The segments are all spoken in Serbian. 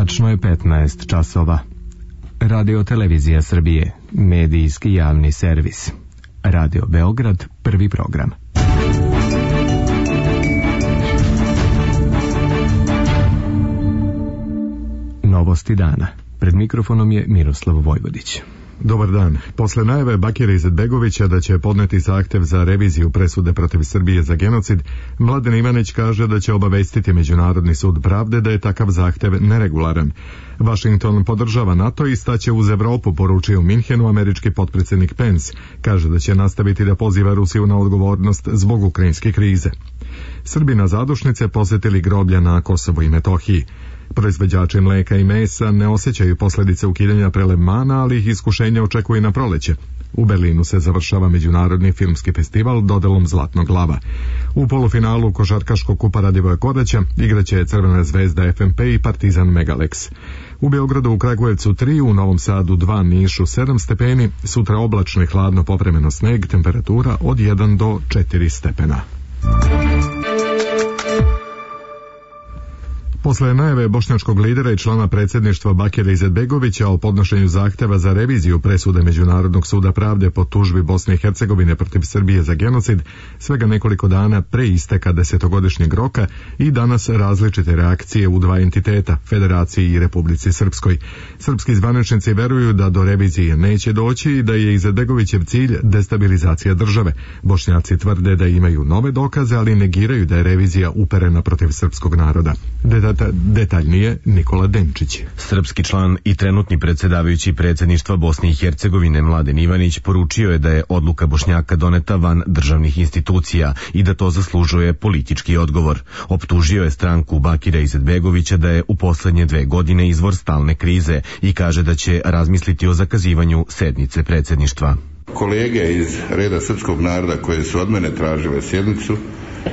Tačno je 15 časova. Radio Televizija Srbije, medijski javni servis. Radio Beograd, prvi program. Novosti dana. Pred mikrofonom je Miroslav Vojvodić. Dobar dan. Posle najave Bakira Izetbegovića da će podneti zahtev za reviziju presude protiv Srbije za genocid, Mladen Ivanić kaže da će obavestiti Međunarodni sud pravde da je takav zahtev neregularan. Washington podržava NATO i staće uz Evropu, poručio u Minhenu američki potpredsjednik Pence. Kaže da će nastaviti da poziva Rusiju na odgovornost zbog ukrajinske krize. Srbi na zadušnice posjetili groblja na Kosovu i Metohiji. Proizvođači mleka i mesa ne osjećaju posljedice ukidanja prelevmana, ali ih iskušenje očekuje na proleće. U Berlinu se završava međunarodni filmski festival dodelom Zlatnog lava. U polufinalu košarkaškog kupa Radivoja Koraća igraće Crvena zvezda FNP i Partizan Megalex. U Beogradu, u Kragujevcu 3, u Novom Sadu 2, Nišu 7 stepeni, sutra oblačno i hladno, povremeno sneg, temperatura od 1 do 4 stepena. Posle najave bošnjačkog lidera i člana predsjedništva Bakira Izetbegovića o podnošenju zahteva za reviziju presude Međunarodnog suda pravde po tužbi Bosne i Hercegovine protiv Srbije za genocid, svega nekoliko dana pre isteka 10-godišnjeg roka i danas različite reakcije u dva entiteta, Federaciji i Republici Srpskoj. Srpski zvaničnici veruju da do revizije neće doći i da je Izetbegovićev cilj destabilizacija države. Bošnjaci tvrde da imaju nove dokaze, ali negiraju da je revizija uperena protiv srpskog naroda. Detaljnije Nikola Denčić. Srpski član i trenutni predsjedavajući predsjedništva Bosne i Hercegovine Mladen Ivanić poručio je da je odluka Bošnjaka doneta van državnih institucija i da to zaslužuje politički odgovor. Optužio je stranku Bakira Izetbegovića da je u posljednje 2 godine izvor stalne krize i kaže da će razmisliti o zakazivanju sednice predsjedništva. Kolege iz reda srpskog naroda koje su od mene tražile sjednicu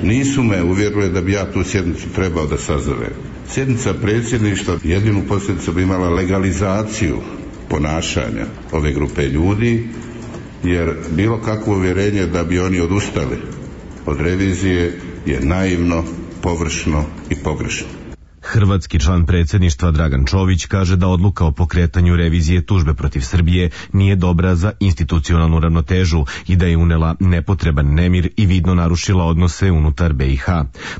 nisu me uvjerile da bi ja tu sjednicu trebao da sazovem. Sjednica predsjedništva jedinu posljedicu bi imala legalizaciju ponašanja ove grupe ljudi, jer bilo kakvo uvjerenje da bi oni odustali od revizije je naivno, površno i pogrešno. Hrvatski član predsjedništva Dragan Čović kaže da odluka o pokretanju revizije tužbe protiv Srbije nije dobra za institucionalnu ravnotežu i da je unela nepotreban nemir i vidno narušila odnose unutar BiH.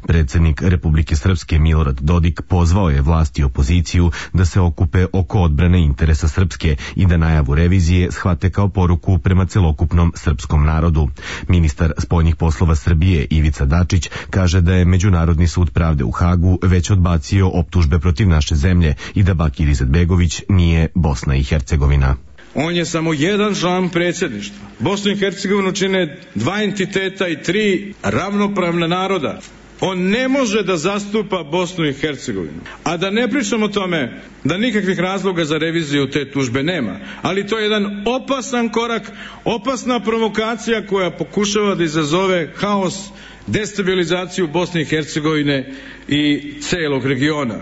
Predsjednik Republike Srpske Milorad Dodik pozvao je vlast i opoziciju da se okupe oko odbrane interesa Srpske i da najavu revizije shvate kao poruku prema celokupnom srpskom narodu. Ministar spoljnih poslova Srbije Ivica Dačić kaže da je Međunarodni sud pravde u Hagu već odbacio optužbe protiv naše zemlje i da Bakir Izetbegović nije Bosna i Hercegovina. On je samo jedan član predsjedništva. Bosnu i Hercegovinu čine 2 entiteta i 3 ravnopravna naroda. On ne može da zastupa Bosnu i Hercegovinu. A da ne pričam o tome da nikakvih razloga za reviziju te tužbe nema. Ali to je jedan opasan korak, opasna provokacija koja pokušava da izazove haos, destabilizaciju Bosne i Hercegovine i celog regiona.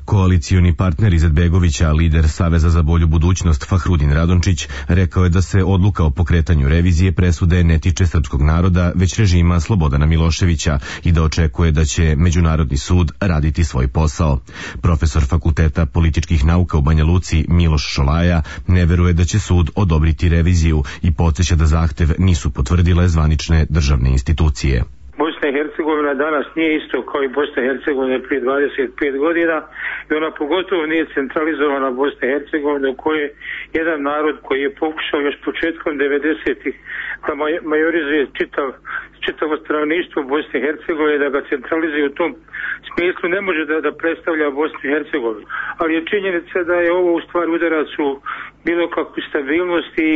Koalicioni partner Izetbegovića, lider Saveza za bolju budućnost Fahrudin Radončić, rekao je da se odluka o pokretanju revizije presude ne tiče srpskog naroda, već režima Slobodana Miloševića i da očekuje da će Međunarodni sud raditi svoj posao. Profesor Fakulteta političkih nauka u Banja Luci Miloš Šolaja ne veruje da će sud odobriti reviziju i podsjeća da zahtev nisu potvrdile zvanične državne institucije. Bosna i Hercegovina danas nije isto kao i Bosna i Hercegovina prije 25 godina i ona pogotovo nije centralizovana Bosna i Hercegovina u kojoj jedan narod koji je pokušao još početkom 90-ih da majorizuje čitavo stanovništvo Bosne i Hercegovine, da ga centralizuje u tom smislu, ne može da predstavlja Bosnu i Hercegovinu. Ali je činjenica da je ovo u stvari udarac u bilo kakvu stabilnost i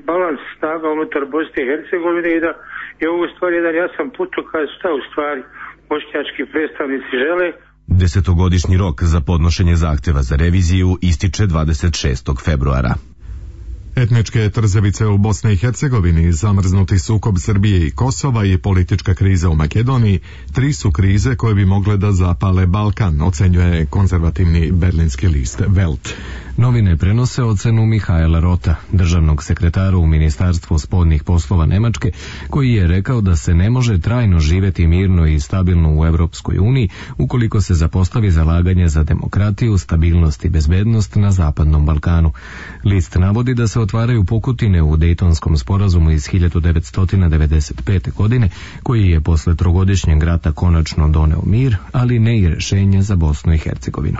balans snaga unutar Bosne i Hercegovine i da je ovo u stvari jedan jasan putokaz šta u stvari bošnjački predstavnici žele. 10-godišnji rok za podnošenje zahteva za reviziju ističe 26. februara. Etničke trzavice u Bosni i Hercegovini, zamrznuti sukob Srbije i Kosova i politička kriza u Makedoniji 3 su krize koje bi mogle da zapale Balkan, ocenjuje konzervativni berlinski list Welt. Novine prenose ocenu Mihaela Rota, državnog sekretara u Ministarstvu spoljnih poslova Nemačke, koji je rekao da se ne može trajno živjeti mirno i stabilno u Europskoj uniji ukoliko se zapostavi zalaganje za demokratiju, stabilnost i bezbednost na Zapadnom Balkanu. List navodi da se otvaraju pukotine u Dejtonskom sporazumu iz 1995. godine, koji je posle trogodišnjeg rata konačno doneo mir, ali ne i rešenje za Bosnu i Hercegovinu.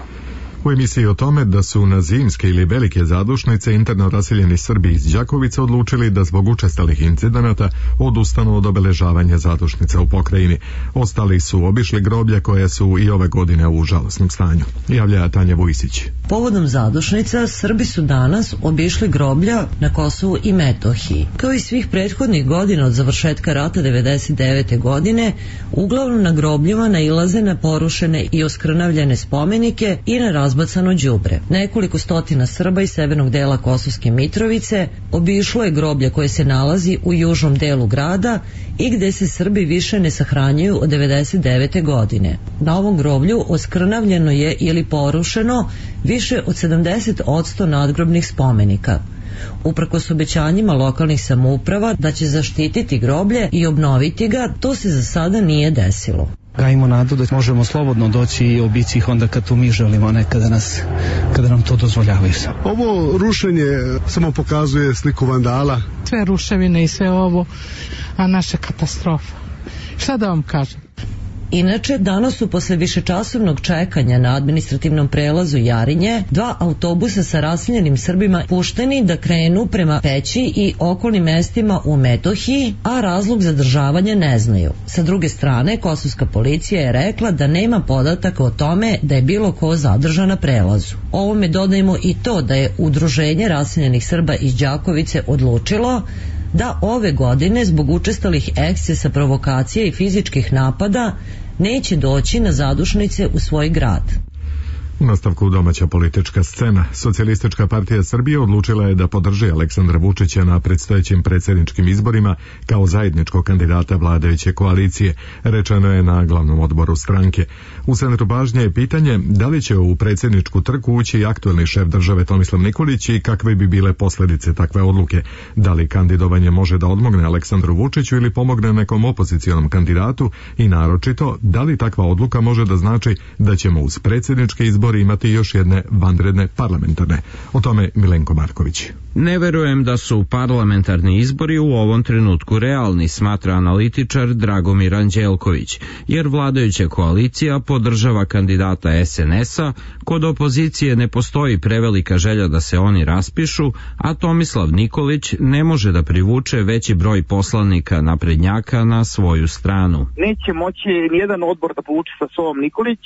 U emisiji o tome da su na zimske ili velike zadušnice interno raseljeni Srbi iz Đakovica odlučili da zbog učestalih incidenata odustanu od obeležavanja zadušnica u pokrajini. Ostali su obišli groblja koja su i ove godine u žalosnom stanju. Javlja Tanja Vujsić. Povodom zadušnica, Srbi su danas obišli groblja na Kosovu i Metohiji. Kao i svih prethodnih godina od završetka rata 1999. godine, uglavnom na grobljima nailaze na porušene i oskrnavljene spomenike i na razbacano đubre. Nekoliko stotina Srba iz severnog dela Kosovske Mitrovice obišlo je groblje koje se nalazi u južnom delu grada i gde se Srbi više ne sahranjuju od 1999. godine. Na ovom groblju oskrnavljeno je ili porušeno više od 70% nadgrobnih spomenika. Uprkos obećanjima lokalnih samouprava da će zaštititi groblje i obnoviti ga, to se za sada nije desilo. Gajimo nadu da možemo slobodno doći i obići ih onda kad to mi želimo, ne kada nam to dozvoljavaju. Ovo rušenje samo pokazuje sliku vandala. Sve ruševine i sve ovo, a naša katastrofa. Šta da vam kažem? Inače, danas su posle višečasovnog čekanja na administrativnom prelazu Jarinje 2 autobusa sa raseljenim Srbima pušteni da krenu prema Peći i okolnim mestima u Metohiji, a razlog zadržavanja ne znaju. Sa druge strane, kosovska policija je rekla da nema podataka o tome da je bilo ko zadržan na prelazu. Ovome dodajemo i to da je Udruženje raseljenih Srba iz Đakovice odlučilo da ove godine zbog učestalih ekscesa, provokacija i fizičkih napada neće doći na zadušnice u svoj grad. U nastavku domaća politička scena. Socijalistička partija Srbije odlučila je da podrži Aleksandra Vučića na predstojećim predsjedničkim izborima kao zajedničkog kandidata vladajuće koalicije, rečeno je na glavnom odboru stranke. U centru pažnje je pitanje da li će u predsjedničku trku ući aktuelni šef države Tomislav Nikolić i kakve bi bile posljedice takve odluke. Da li kandidovanje može da odmogne Aleksandru Vučiću ili pomogne nekom opozicionom kandidatu i naročito da li takva odluka može da znači da ćemo uz predsjedničke izbore imati još jedne vanredne parlamentarne. O tome Milenko Marković. Ne verujem da su parlamentarni izbori u ovom trenutku realni, smatra analitičar Dragomir Anđelković, jer vladajuća koalicija podržava kandidata SNS-a, kod opozicije ne postoji prevelika želja da se oni raspišu, a Tomislav Nikolić ne može da privuče veći broj poslanika naprednjaka na svoju stranu. Neće moći nijedan odbor da povuče sa sobom Nikolić,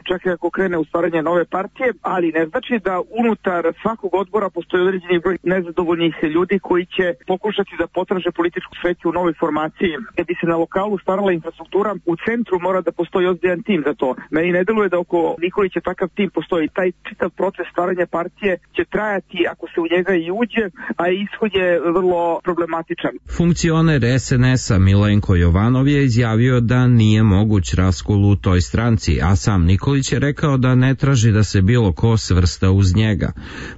čak i ako krene u stvaranje nove partije, ali ne znači da unutar svakog odbora postoji određeni broj nezadovoljnih ljudi koji će pokušati da potraže političku sreću u novoj formaciji. Kad bi se na lokalu stvarala infrastruktura, u centru mora da postoji ozbiljan tim za to. Meni ne deluje da oko Nikolića takav tim postoji. Taj čitav proces stvaranja partije će trajati ako se u njega i uđe, a ishod je vrlo problematičan. Funkcioner SNS-a Milenko Jovanov je izjavio da nije moguć raskol u toj stranci, a sam Nikolić je rekao da ne traži da se bilo ko svrsta uz njega.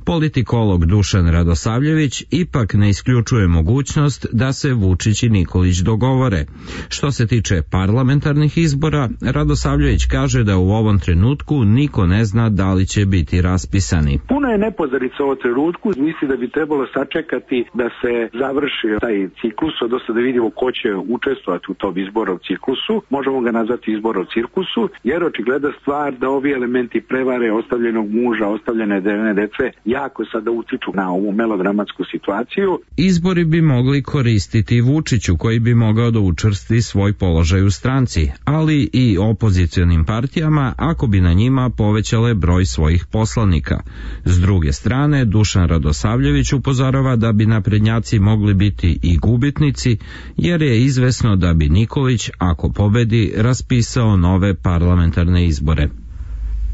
Politikolog Dušan Radosavljević ipak ne isključuje mogućnost da se Vučić i Nikolić dogovore. Što se tiče parlamentarnih izbora, Radosavljević kaže da u ovom trenutku niko ne zna da li će biti raspisani. Puno je nepoznanice u ovom trenutku, misli da bi trebalo sačekati da se završi taj ciklus, odnosno da vidimo ko će učestvovati u tom izbornom ciklusu, možemo ga nazvati izbornom cirkusu, jer očigledna stvar da ovi elementi prevare ostavljenog muža, ostavljene dece, jako sada utiču na ovu melodramatsku situaciju. Izbori bi mogli koristiti Vučiću, koji bi mogao da učvrsti svoj položaj u stranci, ali i opozicionim partijama ako bi na njima povećale broj svojih poslanika. S druge strane, Dušan Radosavljević upozorava da bi naprednjaci mogli biti i gubitnici, jer je izvesno da bi Nikolić, ako pobedi, raspisao nove parlamentarne izbore.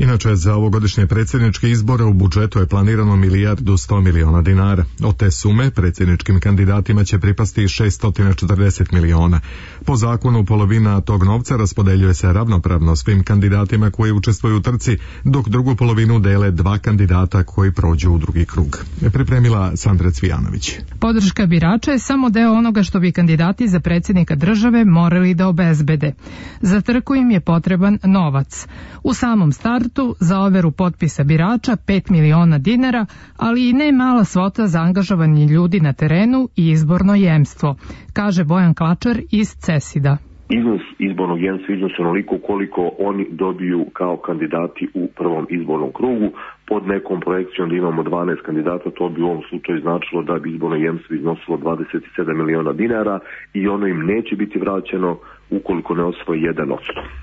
Inače, za ovogodišnje predsjedničke izbore u budžetu je planirano 1.100 miliona dinara. Od te sume predsjedničkim kandidatima će pripasti 640 miliona. Po zakonu polovina tog novca raspodeljuje se ravnopravno svim kandidatima koji učestvuju u trci, dok drugu polovinu dele 2 kandidata koji prođu u drugi krug. Pripremila Sandra Cvijanović. Podrška birača je samo deo onoga što bi kandidati za predsjednika države morali da obezbede. Za trku im je potreban novac. U samom startu za overu potpisa birača 5 miliona dinara, ali i ne mala svota za angažovanje ljudi na terenu i izborno jemstvo, kaže Bojan Klačar iz CESID-a. Iznos izbornog jemstva iznosi onoliko koliko oni dobiju kao kandidati u prvom izbornom krugu. Pod nekom projekcijom da imamo 12 kandidata, to bi u ovom slučaju značilo da bi izborno jemstvo iznosilo 27 miliona dinara i ono im neće biti vraćeno ukoliko ne osvoji 1%.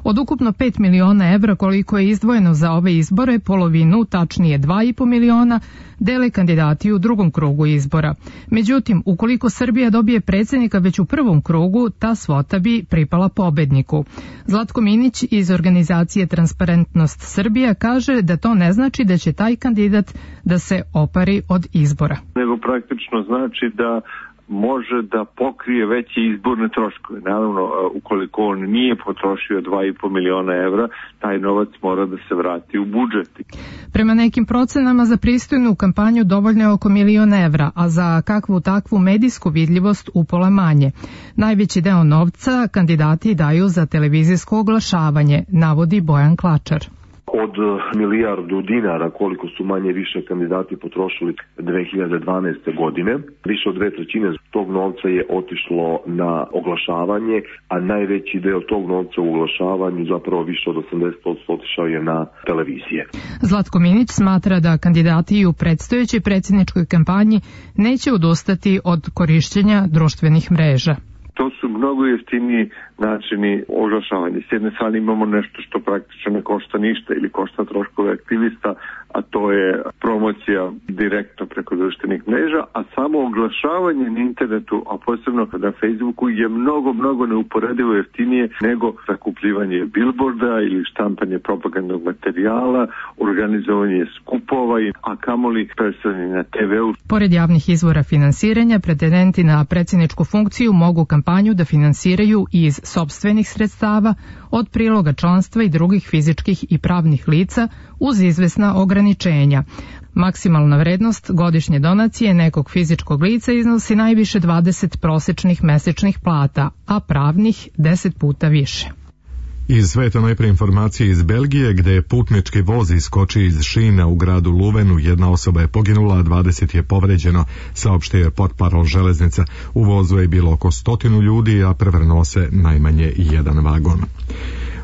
Od ukupno 5 miliona evra koliko je izdvojeno za ove izbore, polovinu, tačnije 2,5 miliona, dele kandidati u drugom krugu izbora. Međutim, ukoliko Srbija dobije predsjednika već u prvom krugu, ta svota bi pripala pobedniku. Zlatko Minić iz organizacije Transparentnost Srbija kaže da to ne znači da će taj kandidat da se opari od izbora. Nego praktično znači da može da pokrije veće izborne troškove. Naravno, ukoliko on nije potrošio 2,5 miliona evra, taj novac mora da se vrati u budžet. Prema nekim procenama za pristojnu kampanju dovoljno je oko 1 milion evra, a za kakvu takvu medijsku vidljivost upola manje. Najveći deo novca kandidati daju za televizijsko oglašavanje, navodi Bojan Klačar. Od milijardu dinara koliko su manje više kandidati potrošili 2012. godine. Više od 2/3 tog novca je otišlo na oglašavanje, a najveći deo tog novca u oglašavanju, zapravo više od 80%, otišao je na televizije. Zlatko Minić smatra da kandidati u predstojećoj predsjedničkoj kampanji neće odustati od korišćenja društvenih mreža. To su mnogo jeftiniji načini oglašavanja. S jedne strane imamo nešto što praktično ne košta ništa ili košta troškove aktivista, a to je promocija direktno preko društvenih mreža, a samo oglašavanje na internetu, a posebno na Facebooku, je mnogo neuporedivo jeftinije nego zakupljivanje bilborda ili štampanje propagandnog materijala, organizovanje skupova, a kamoli predstavljanje na TV-u. Pored javnih izvora finansiranja, pretendenti na predsjedničku funkciju mogu kampanju da finansiraju iz sopstvenih sredstava, od priloga članstva i drugih fizičkih i pravnih lica uz izvesna ograničenja. Maksimalna vrednost godišnje donacije nekog fizičkog lica iznosi najviše 20 prosečnih mesečnih plata, a pravnih 10 puta više. Iz sveta najprije informacije iz Belgije, gde je putnički voz iskočio iz šina u gradu Luvenu. Jedna osoba je poginula, a 20 je povređeno, saopštio je portparol železnica. U vozu je bilo oko 100 ljudi, a prevrnuo se najmanje jedan vagon.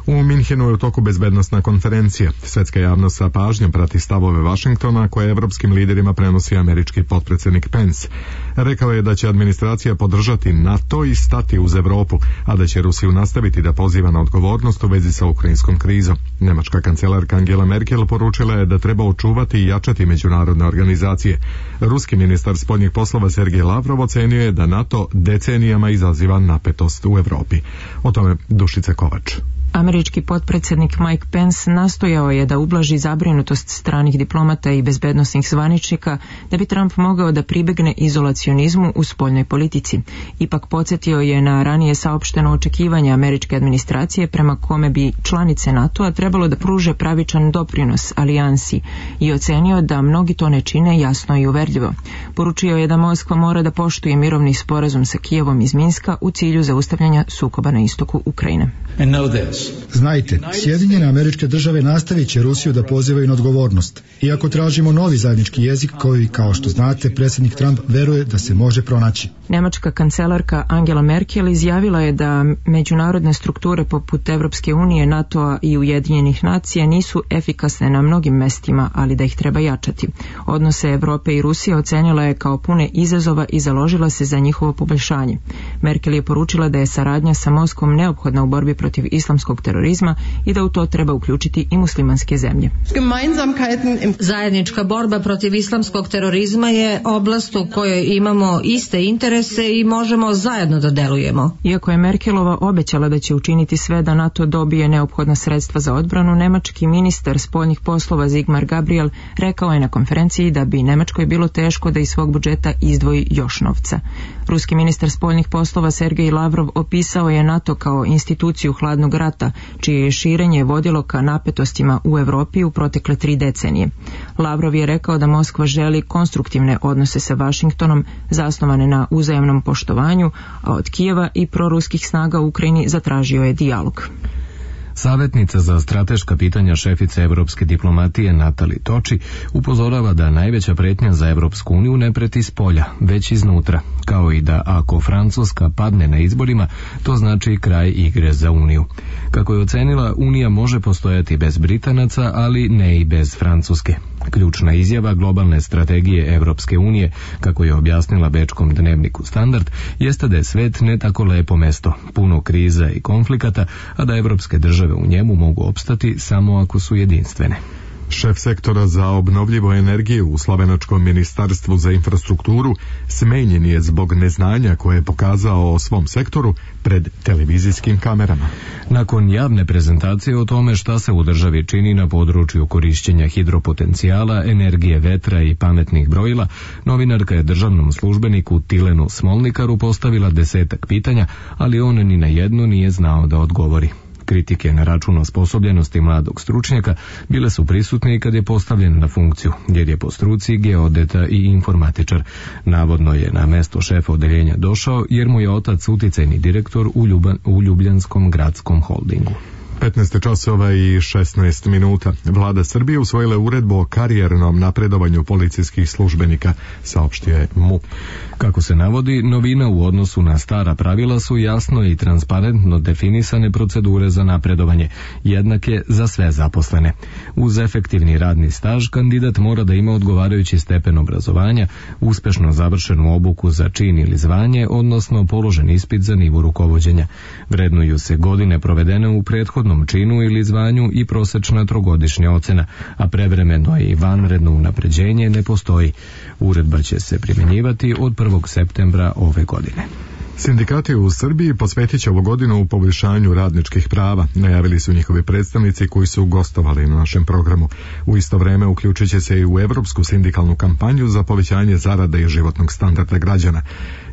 U Minhenu je u toku bezbednosna konferencija. Svetska javnost sa pažnjom prati stavove Vašingtona koje evropskim liderima prenosi američki potpredsjednik Pence. Rekao je da će administracija podržati NATO i stati uz Evropu, a da će Rusiju nastaviti da poziva na odgovornost u vezi sa ukrajinskom krizom. Nemačka kancelarka Angela Merkel poručila je da treba očuvati i jačati međunarodne organizacije. Ruski ministar spoljnih poslova Sergej Lavrov ocenio je da NATO decenijama izaziva napetost u Evropi. O tome Dušica Kovač. Američki potpredsjednik Mike Pence nastojao je da ublaži zabrinutost stranih diplomata i bezbednosnih zvaničnika da bi Trump mogao da pribegne izolacionizmu u spoljnoj politici. Ipak podsjetio je na ranije saopšteno očekivanje američke administracije prema kome bi članice NATO-a trebalo da pruže pravičan doprinos alijansi i ocenio da mnogi to ne čine jasno i uverljivo. Poručio je da Moskva mora da poštuje mirovni sporazum sa Kijevom iz Minska u cilju zaustavljanja sukoba na istoku Ukrajine. Znajte, Sjedinjene Američke Države nastavit će Rusiju da pozivaju na odgovornost. Iako tražimo novi zajednički jezik koji, kao što znate, predsjednik Trump veruje da se može pronaći. Nemačka kancelarka Angela Merkel izjavila je da međunarodne strukture poput Evropske unije, NATO-a i Ujedinjenih nacija nisu efikasne na mnogim mestima, ali da ih treba jačati. Odnose Evrope i Rusije ocenila je kao pune izazova i založila se za njihovo poboljšanje. Merkel je poručila da je saradnja sa Moskvom neophodna u borbi protiv islamskog terorizma i da u to treba uključiti i muslimanske zemlje. Zajednička borba protiv islamskog terorizma je oblast u kojoj imamo iste interese i možemo zajedno da delujemo. Iako je Merkelova obećala da će učiniti sve da NATO dobije neophodna sredstva za odbranu, nemački ministar spoljnih poslova Sigmar Gabriel rekao je na konferenciji da bi Nemačkoj bilo teško da iz svog budžeta izdvoji još novca. Ruski ministar spoljnih poslova Sergej Lavrov opisao je NATO kao instituciju hladnog rata, čije je širenje vodilo ka napetostima u Evropi u protekle 3 decenije. Lavrov je rekao da Moskva želi konstruktivne odnose sa Vašingtonom zasnovane na uzajamnom poštovanju, a od Kijeva i proruskih snaga u Ukrajini zatražio je dijalog. Savjetnica za strateška pitanja šefice evropske diplomatije Natali Toči upozorava da najveća pretnja za Evropsku uniju ne preti s polja, već iznutra, kao i da ako Francuska padne na izborima, to znači kraj igre za Uniju. Kako je ocenila, Unija može postojati bez Britanaca, ali ne i bez Francuske. Ključna izjava globalne strategije Evropske unije, kako je objasnila bečkom dnevniku Standard, jeste da je svet ne tako lepo mesto, puno kriza i konflikata, a da evropske države u njemu mogu opstati samo ako su jedinstvene. Šef sektora za obnovljivu energiju u Slovenačkom ministarstvu za infrastrukturu smenjen je zbog neznanja koje je pokazao o svom sektoru pred televizijskim kamerama. Nakon javne prezentacije o tome šta se u državi čini na području korišćenja hidropotencijala, energije vetra i pametnih brojila, novinarka je državnom službeniku Tilenu Smolnikaru postavila 10 pitanja, ali on ni na jedno nije znao da odgovori. Kritike na račun osposobljenosti mladog stručnjaka bile su prisutne i kad je postavljen na funkciju, jer je po struci geodeta i informatičar. Navodno je na mesto šefa odeljenja došao jer mu je otac uticajni direktor u Ljubljanskom gradskom holdingu. 15 časova i 16 minuta. Vlada Srbije usvojila uredbu o karijernom napredovanju policijskih službenika, saopštio je MUP. Kako se navodi, novina u odnosu na stara pravila su jasno i transparentno definisane procedure za napredovanje, jednake za sve zaposlene. Uz efektivni radni staž, kandidat mora da ima odgovarajući stepen obrazovanja, uspešno završenu obuku za čin ili zvanje, odnosno položen ispit za nivo rukovođenja. Vrednuju se godine provedene u prethodnom činu ili zvanju i prosečna trogodišnja ocena, a prevremeno i vanredno unapređenje ne postoji. Uredba će se primjenjivati od 1. septembra ove godine. Sindikati u Srbiji posvetit će ovu godinu u poboljšanju radničkih prava, najavili su njihovi predstavnici koji su gostovali na našem programu. U isto vreme uključit će se i u evropsku sindikalnu kampanju za povećanje zarada i životnog standarda građana.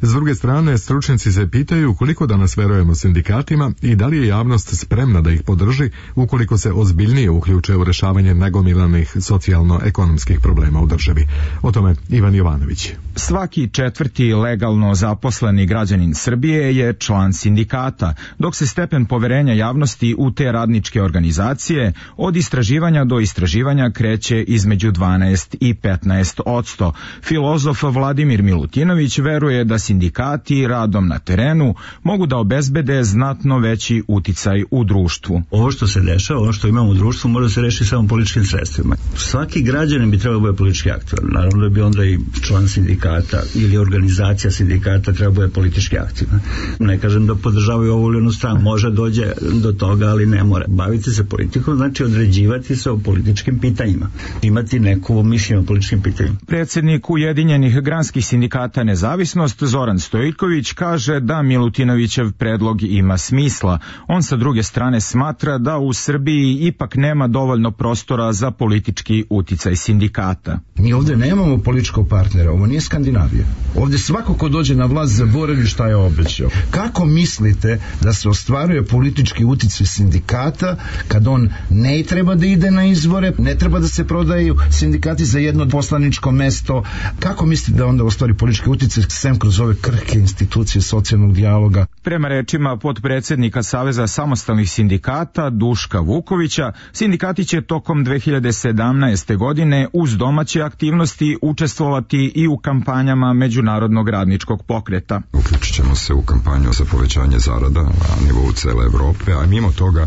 S druge strane, stručnjaci se pitaju koliko danas verujemo sindikatima i da li je javnost spremna da ih podrži ukoliko se ozbiljnije uključe u rešavanje nagomilanih socijalno-ekonomskih problema u državi. O tome Ivan Jovanović. Svaki 4. legalno zaposleni građanin Srbije je član sindikata, dok se stepen poverenja javnosti u te radničke organizacije od istraživanja do istraživanja kreće između 12 i 15%. Filozof Vladimir Milutinović veruje da sindikati radom na terenu mogu da obezbede znatno veći uticaj u društvu. Ovo što se dešava, ovo što imamo u društvu, može se rešiti samo političkim sredstvima. Svaki građanin bi trebao biti politički aktivan. Naravno da bi onda i član sindikata ili organizacija sindikata trebao biti politički aktivna. Ne kažem da podržavaju ovu ili onu stranu. Može dođe do toga, ali ne mora. Baviti se politikom znači određivati se o političkim pitanjima. Imati neko mišljenje o političkim pitanjima. Predsjednik Ujedinjenih granskih sindikata Nezavisnost Zoran Stojković kaže da Milutinovićev predlog ima smisla. On sa druge strane smatra da u Srbiji ipak nema dovoljno prostora za politički uticaj sindikata. Mi ovdje nemamo političkog partnera, ovo nije Skandinavija. Ovdje svako ko dođe na vlast zaboravi šta je obećao. Kako mislite da se ostvaruje politički uticaj sindikata kad on ne treba da ide na izbore, ne treba da se prodaju sindikati za jedno poslaničko mesto? Kako mislite da onda ostvari politički uticaj sem kroz ove krhke institucije socijalnog dijaloga? Prema rečima potpredsjednika Saveza samostalnih sindikata Duška Vukovića, sindikati će tokom 2017. godine uz domaće aktivnosti učestvovati i u kampanjama Međunarodnog radničkog pokreta. Uključit ćemo se u kampanju za povećanje zarada na nivou cele Evrope, a mimo toga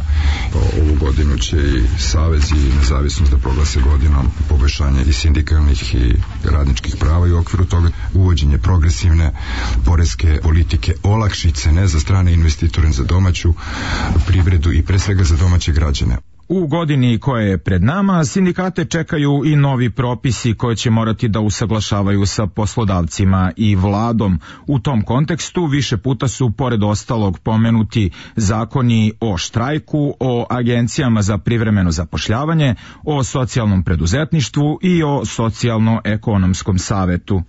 ovu godinu će i Savez i Nezavisnost da proglase godinom poboljšanja i sindikalnih i radničkih prava i u okviru toga uvođenje progresivne poreske politike, olakšice ne za strane investitore, za domaću privredu i pre svega za domaće građane. U godini koja je pred nama, sindikate čekaju i novi propisi koje će morati da usaglašavaju sa poslodavcima i vladom. U tom kontekstu više puta su pored ostalog pomenuti zakoni o štrajku, o agencijama za privremeno zapošljavanje, o socijalnom preduzetništvu i o socijalno-ekonomskom savetu.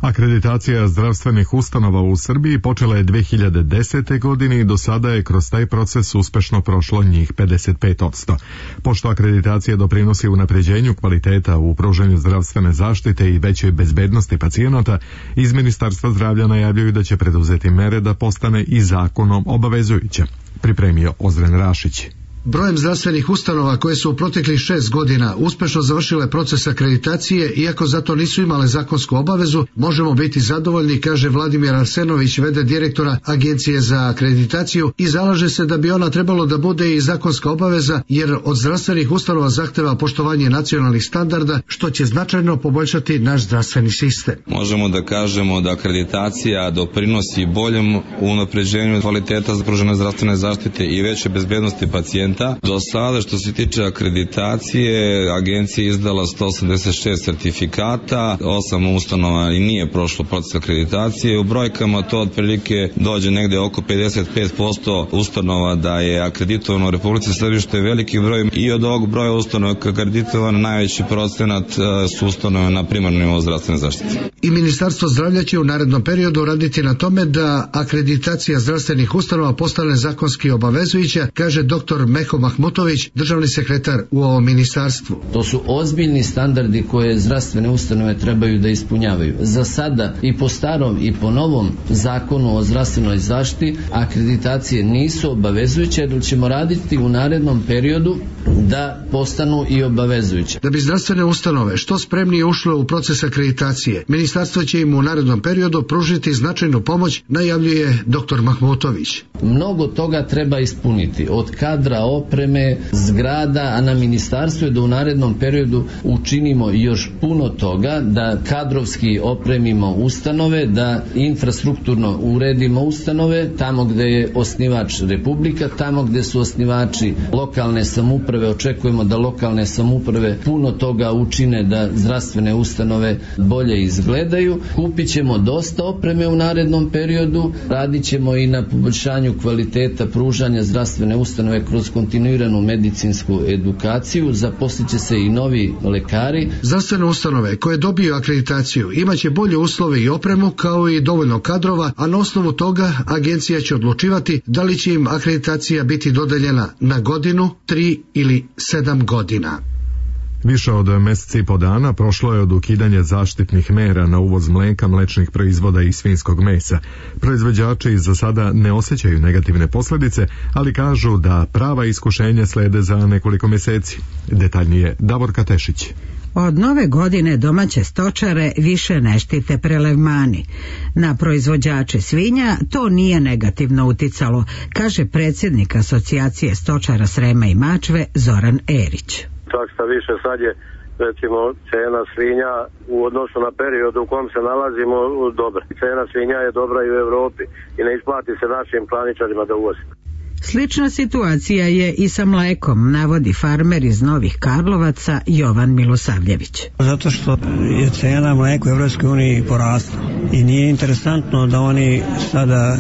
Akreditacija zdravstvenih ustanova u Srbiji počela je 2010. godine i do sada je kroz taj proces uspešno prošlo njih 55%. Pošto akreditacija doprinosi unapređenju kvaliteta u pružanju zdravstvene zaštite i većoj bezbednosti pacijenata, iz Ministarstva zdravlja najavljuju da će preduzeti mere da postane i zakonom obavezujuća. Pripremio Ozren Rašić. Brojem zdravstvenih ustanova koje su u proteklih 6 godina uspešno završile proces akreditacije, iako zato nisu imale zakonsku obavezu, možemo biti zadovoljni, kaže Vladimir Arsenović, v.d. direktora Agencije za akreditaciju, i zalaže se da bi ona trebalo da bude i zakonska obaveza, jer od zdravstvenih ustanova zahteva poštovanje nacionalnih standarda, što će značajno poboljšati naš zdravstveni sistem. Možemo da kažemo da akreditacija doprinosi boljem unapređenju kvaliteta pružene zdravstvene zaštite i veće bezbednosti pacijenta. Do sada, što se tiče akreditacije, agencija je izdala 186 sertifikata, 8 ustanova i nije prošlo proces akreditacije. U brojkama to otprilike dođe negde oko 55% ustanova da je akreditovano u Republici Srbiji, što je veliki broj, i od ovog broja ustanova akreditovano najveći procenat su ustanove na primarnom nivou zdravstvene zaštite. I Ministarstvo zdravlja će u narednom periodu raditi na tome da akreditacija zdravstvenih ustanova postane zakonski obavezujuća, kaže dr. Meho Mahmutović, državni sekretar u ovom ministarstvu. To su ozbiljni standardi koje zdravstvene ustanove trebaju da ispunjavaju. Za sada i po starom i po novom zakonu o zdravstvenoj zaštiti akreditacije nisu obavezujuće, jer ćemo raditi u narednom periodu da postanu i obavezujuće. Da bi zdravstvene ustanove što spremnije ušle u proces akreditacije, ministarstvo će im u narednom periodu pružiti značajnu pomoć, najavljuje dr. Mahmutović. Mnogo toga treba ispuniti, od kadra, opreme, zgrada, a na ministarstvu je da u narednom periodu učinimo još puno toga, da kadrovski opremimo ustanove, da infrastrukturno uredimo ustanove, tamo gde je osnivač Republika, tamo gde su osnivači lokalne samouprave, očekujemo da lokalne samouprave puno toga učine da zdravstvene ustanove bolje izgledaju. Kupit ćemo dosta opreme u narednom periodu, radit ćemo i na poboljšanju kvaliteta pružanja zdravstvene ustanove kroz kontinuiranu medicinsku edukaciju, zaposlit će se i novi lekari. Zdravstvene ustanove koje dobiju akreditaciju imaće bolje uslove i opremu, kao i dovoljno kadrova, a na osnovu toga agencija će odlučivati da li će im akreditacija biti dodeljena na godinu, 3 ili 7 godina. Više od meseci i po dana prošlo je od ukidanja zaštitnih mera na uvoz mleka, mlečnih proizvoda i svinjskog mesa. Proizvođači za sada ne osjećaju negativne posljedice, ali kažu da prava iskušenja slede za nekoliko meseci. Detaljnije Davor Katešić. Od nove godine domaće stočare više ne štite prelevmani. Na proizvođače svinja to nije negativno uticalo, kaže predsjednik Asocijacije stočara Srema i Mačve Zoran Erić. Čak šta više, sad je recimo cena svinja u odnosu na period u kom se nalazimo dobra. Cena svinja je dobra i u Evropi i ne isplati se našim klaničarima da uvozi. Slična situacija je i sa mlekom, navodi farmer iz Novih Karlovaca Jovan Milosavljević. Zato što je cena mleka u Evropskoj uniji porasla i nije interesantno da oni sada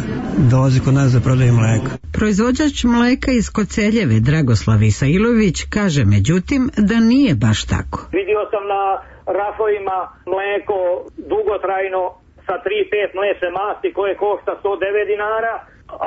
dolaze kod nas za prodaju mleka. Proizvođač mleka iz Koceljeve Dragoslav Isailović kaže međutim da nije baš tako. Vidio sam na rafovima mleko dugotrajno sa 3-5 mlečne masti koje košta 109 dinara,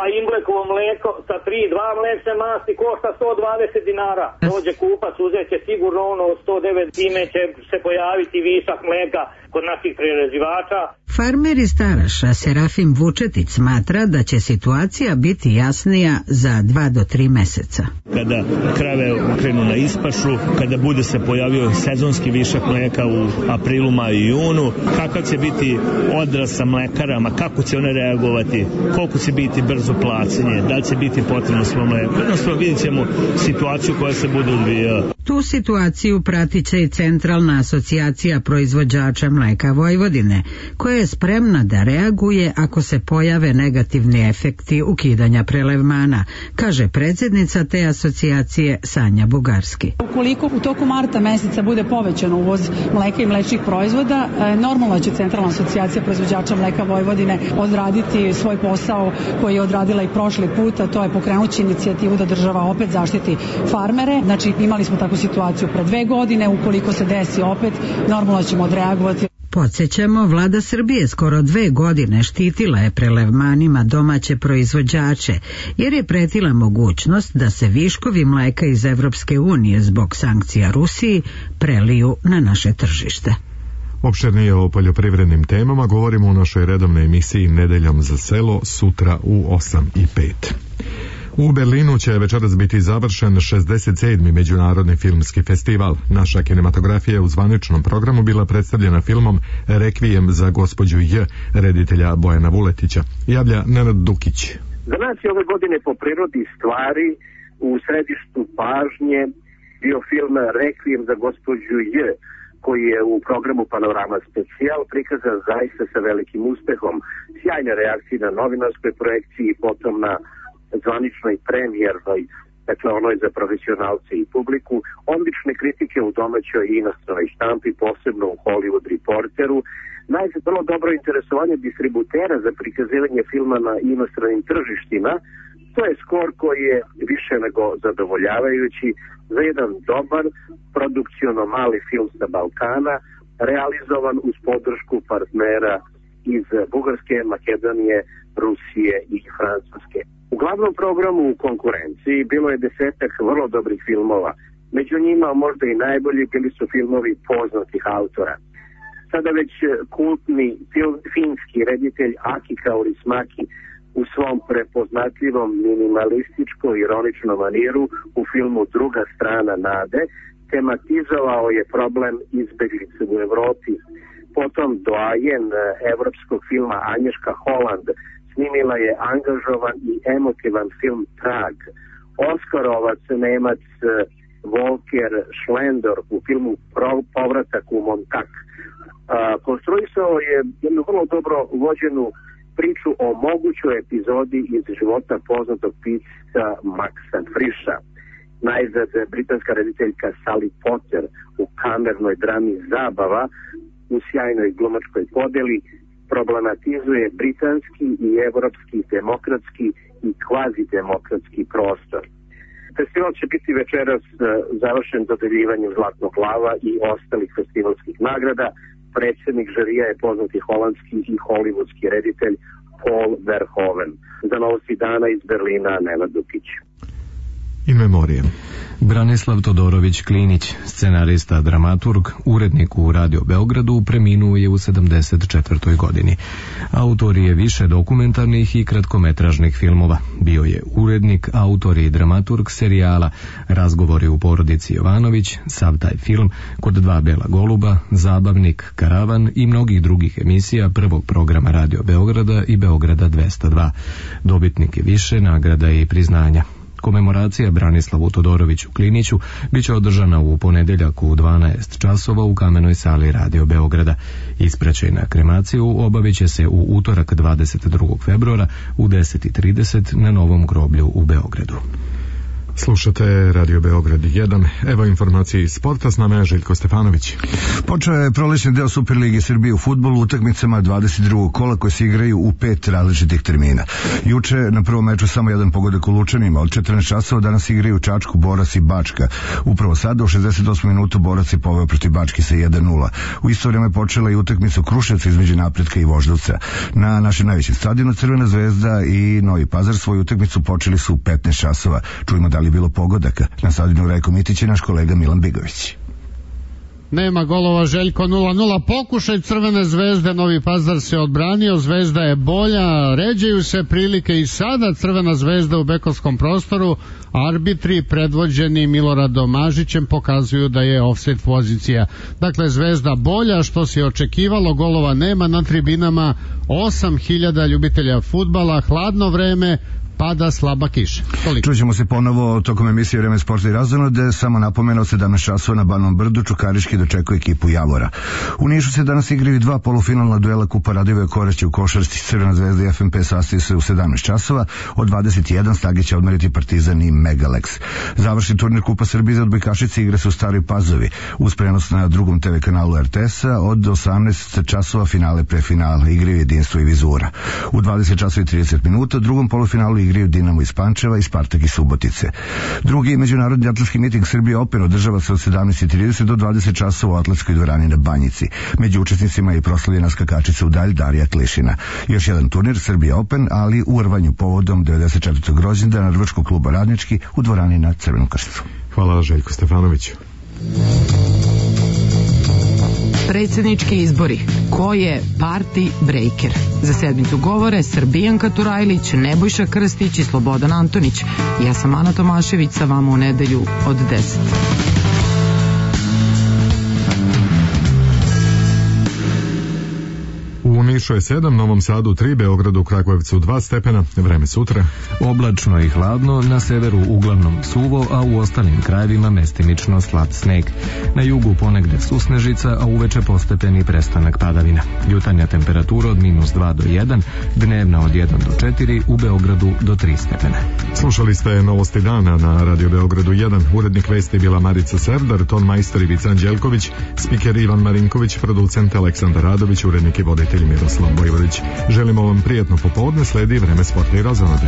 a Imblekovo mleko sa 3-2 mlečne masti košta 120 dinara. Dođe kupac, uzet će sigurno ono 109, time će se pojaviti višak mleka kod naših prerađivača. Farmer iz Taraša Serafim Vučetić smatra da će situacija biti jasnija za 2 do 3 meseca. Kada krave krenu na ispašu, kada bude se pojavio sezonski višak mleka u aprilu, maju i junu, kakav će biti odraz sa mlekarama, kako će one reagovati, koliko će biti brzo plaćanje, da li će biti potrebno svo mleko. Jednostavno vidjet ćemo situaciju koja se bude odvijala. Tu situaciju pratit će i Centralna asocijacija proizvođača mleka Vojvodine, koja je spremna da reaguje ako se pojave negativni efekti ukidanja prelevmana, kaže predsjednica te asocijacije Sanja Bugarski. Ukoliko u toku marta meseca bude povećan uvoz mleka i mlečnih proizvoda, normalno će Centralna asocijacija proizvođača mleka Vojvodine odraditi svoj posao koji je odradila i prošli put, a to je pokrenući inicijativu da država opet zaštiti farmere. Znači imali smo takvu situaciju pre 2 godine, ukoliko se desi opet, normalno ćemo odreagovati. Podsjećamo, vlada Srbije skoro 2 godine štitila je prelevmanima domaće proizvođače, jer je pretila mogućnost da se viškovi mleka iz Evropske unije zbog sankcija Rusiji preliju na naše tržište. Opširnije o poljoprivrednim temama govorimo u našoj redovnoj emisiji Nedeljom za selo sutra u 8:05. U Berlinu će večeras biti završen 67. Međunarodni filmski festival. Naša kinematografija je u zvaničnom programu bila predstavljena filmom Rekvijem za gospođu J, reditelja Bojana Vuletića. Javlja Nenad Dukić. Za nas je ove godine po prirodi stvari u središtu pažnje bio film Rekvijem za gospođu J, koji je u programu Panorama Specijal prikazan zaista sa velikim uspehom. Sjajne reakcije na novinarskoj projekciji i potom na zvaničnoj premijernoj, dakle onoj za profesionalce i publiku, odlične kritike u domaćoj i inostranoj štampi, posebno u Hollywood Reporteru, najzad vrlo dobro interesovanje distributera za prikazivanje filma na inostranim tržištima. To je skor koji je više nego zadovoljavajući za jedan dobar, produkciono mali film sa Balkana, realizovan uz podršku partnera iz Bugarske, Makedonije, Rusije i Francuske. U glavnom programu u konkurenciji bilo je 10-ak vrlo dobrih filmova. Među njima možda i najbolji bili su filmovi poznatih autora. Sada već kultni finski reditelj Aki Kaurismäki u svom prepoznatljivom minimalističko-ironičnom maniru u filmu Druga strana nade tematizovao je problem izbeglice u Evropi. Potom doajen evropskog filma Anješka Holland snimila je angažovan i emotivan film Trag. Oskarovac Nemac Volker Schlendorf u filmu Povratak u Montak konstruisao je jednu vrlo dobro vođenu priču o mogućoj epizodi iz života poznatog pisca Maxa Frisha. Najzad britanska rediteljka Sally Potter u kamernoj drami Zabava u sjajnoj glumačkoj podeli problematizuje britanski i evropski demokratski i kvazidemokratski prostor. Festival će biti večeras završen dodeljivanjem Zlatnog lava i ostalih festivalskih nagrada. Predsjednik žirija je poznati holandski i hollywoodski reditelj Paul Verhoeven. Za Novosti dana iz Berlina, Nenad Dukić. In memoriam. Branislav Todorović Klinić, scenarista, dramaturg, urednik u Radio Beogradu, preminuo je u 74. godini. Autor je više dokumentarnih i kratkometražnih filmova. Bio je urednik, autor i dramaturg serijala Razgovori u porodici Jovanović, sav taj film, Kod 2 bela goluba, Zabavnik, Karavan i mnogih drugih emisija prvog programa Radio Beograda i Beograda 202. Dobitnik je više nagrada i priznanja. Komemoracija Branislavu Todoroviću Kliniću biće održana u ponedjeljak u 12 časova u Kamenoj sali Radio Beograda. Ispraćaj na kremaciju obavit će se u utorak 22. februara u 10:30 na Novom groblju u Beogradu. Slušate Radio Beograd 1. Evo informacije iz sporta, s nama je Željko Stefanović. Počeo je prolećni deo Superlige Srbije u fudbalu utakmicama 22. kola koje se igraju u 5 različitih termina. Juče na prvom meču samo jedan pogodak u Lučanima. Od 14 časova danas igraju Čačku, Borac i Bačka. Upravo sada u 68. minutu Borac je poveo protiv Bačke sa 1:0. U isto vrijeme počela i utakmica Kruševca između Napretka i Voždovca. Na našem najvećem stadionu Crvena zvezda i Novi Pazar svoju utakmicu počeli su u 15 časova. Čujemo da li je bilo pogodaka. Na stadionu Rajko Mitić je naš kolega Milan Bigović. nema golova. Željko 0-0, pokušaj Crvene zvezde, Novi Pazar se odbranio, Zvezda je bolja, ređaju se prilike i sada Crvena zvezda u bekovskom prostoru, arbitri predvođeni Miloradom Mažićem pokazuju da je ofsajd pozicija. Dakle, Zvezda bolja, što se očekivalo, golova nema na tribinama, 8.000 ljubitelja fudbala, hladno vreme, pada slaba kiša. Čućemo se ponovo tokom emisije Vreme sporta i razonode. Samo napomena, od 17 časova na Banom Brdu Čukarički dočekuje ekipu Javora. U Nišu se danas igraju dva polufinalna duela Kupa Radivoje Korać u košarci. Crvena zvezda i FNP sastaju se u 17 časova. Od 21 snage će odmeriti Partizan i Megalex. Završni turnir Kupa Srbije za odbojkašice igra se u Staroj Pazovi. Uz prenos na drugom TV kanalu RTS-a od 18 časova finale pre finale igraju Jedinstvo i Vizura. U 20 časova i 30 minuta drugom polufinalu igraju Dinamo iz Pančeva i Spartak iz Subotice. Drugi međunarodni atletski miting Srbije Open održava se od 17:30 do 20 časova u atletskoj dvorani na Banjici. Među učesnicima je i proslavljena skakačica u dalj Darija Klišina. Još jedan turnir Srbije Open, ali u rvanju povodom 94. rođendana Rvačkog kluba Radnički u dvorani na Crvenom Krstu. Hvala Željko Stefanoviću. Predsjednički izbori. Ko je party breaker? Za sedmicu govore Srbijanka Turajlić, Nebojša Krstić i Slobodan Antonić. Ja sam Ana Tomašević, sa vama u nedelju od 10. U Nišu je 7, Novom Sadu 3, Beogradu, Kragujevcu 2 stepena, vreme sutra. Oblačno i hladno, na severu uglavnom suvo, a u ostalim krajevima mestimično slab sneg. Na jugu ponegde susnežica, a uveče postepeni prestanak padavina. Jutarnja temperatura od -2 do 1, dnevna od 1 do 4, u Beogradu do 3 stepena. Slušali ste Novosti dana na Radio Beogradu 1. Urednik vesti bila Marica Serdar, ton majstor Ivica Anđelković, spiker Ivan Marinković, producent Aleksandar Radović, urednik i voditelj Miroslav Bojvodić. Želimo vam prijatno popodne, sledi Vreme sporta i razonode.